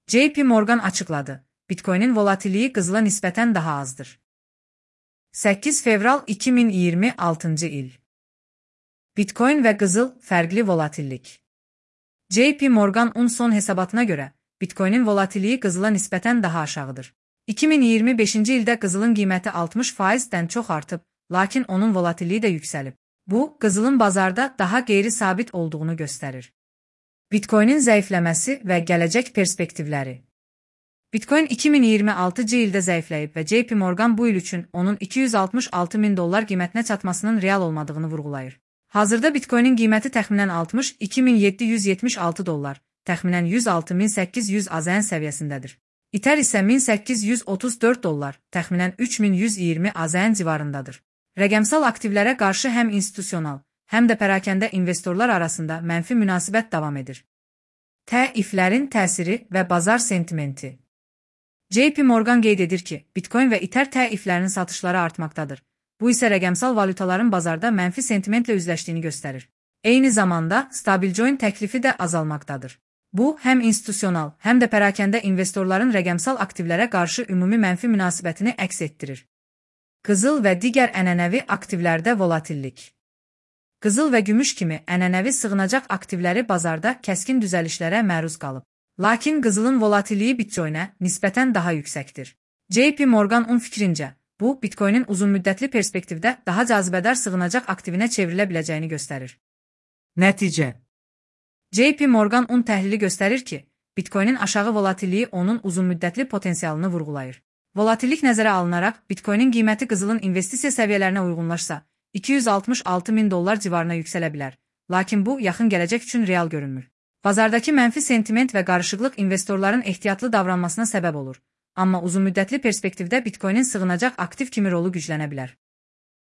JP Morgan açıqladı. Bitcoin'in volatilliyi qızıla nisbətən daha azdır. 8 fevral 2026 il. Bitcoin və qızıl fərqli volatillik. JP Morgan son hesabatına görə, Bitcoin'in volatilliyi qızıla nisbətən daha aşağıdır. 2025-ci ildə qızılın qiyməti 60%-dən çox artıb, lakin onun volatilliyi də yüksəlib. Bu, qızılın bazarda daha qeyri-sabit olduğunu göstərir. Bitcoin'in zəifləməsi və gələcək perspektivləri. Bitcoin 2026-cı ildə zəifləyib və JP Morgan bu il üçün onun $266.000 qiymətinə çatmasının real olmadığını vurğulayır. Hazırda Bitcoin'in qiyməti təxminən $62.776, təxminən $106.800 AZN səviyyəsindədir. Ether isə $1.834, təxminən $3.120 AZN civarındadır. Rəqəmsal aktivlərə qarşı həm institusional, həm də pərakəndə investorlar arasında mənfi münasibət davam edir. Təiflərin təsiri və bazar sentimenti. JP Morgan qeyd edir ki, Bitcoin və Ether təiflərinin satışları artmaqdadır. Bu isə rəqəmsal valyutaların bazarda mənfi sentimentlə üzləşdiyini göstərir. Eyni zamanda, stablecoin təklifi də azalmaqdadır. Bu, həm institusional, həm də pərakəndə investorların rəqəmsal aktivlərə qarşı ümumi mənfi münasibətini əks etdirir. Qızıl və digər ənənəvi aktivlərdə volatillik. Qızıl və gümüş kimi ənənəvi sığınacaq aktivləri bazarda kəskin düzəlişlərə məruz qalıb. Lakin qızılın volatilliyi Bitcoin'ə nisbətən daha yüksəkdir. JP Morgan fikrincə, bu, Bitcoin'in uzunmüddətli perspektivdə daha cazibədar sığınacaq aktivinə çevrilə biləcəyini göstərir. Nəticə. JP Morgan təhlili göstərir ki, Bitcoin'in aşağı volatilliyi onun uzunmüddətli potensialını vurğulayır. Volatillik nəzərə alınaraq, Bitcoin'in qiyməti qızılın investisiya səviyyələrinə uyğunlaşsa, $266.000 civarına yüksələ bilər, lakin bu, yaxın gələcək üçün real görünmür. Bazardakı mənfi sentiment və qarışıqlıq investorların ehtiyatlı davranmasına səbəb olur, amma uzunmüddətli perspektivdə Bitcoin'in sığınacaq aktiv kimi rolu güclənə bilər.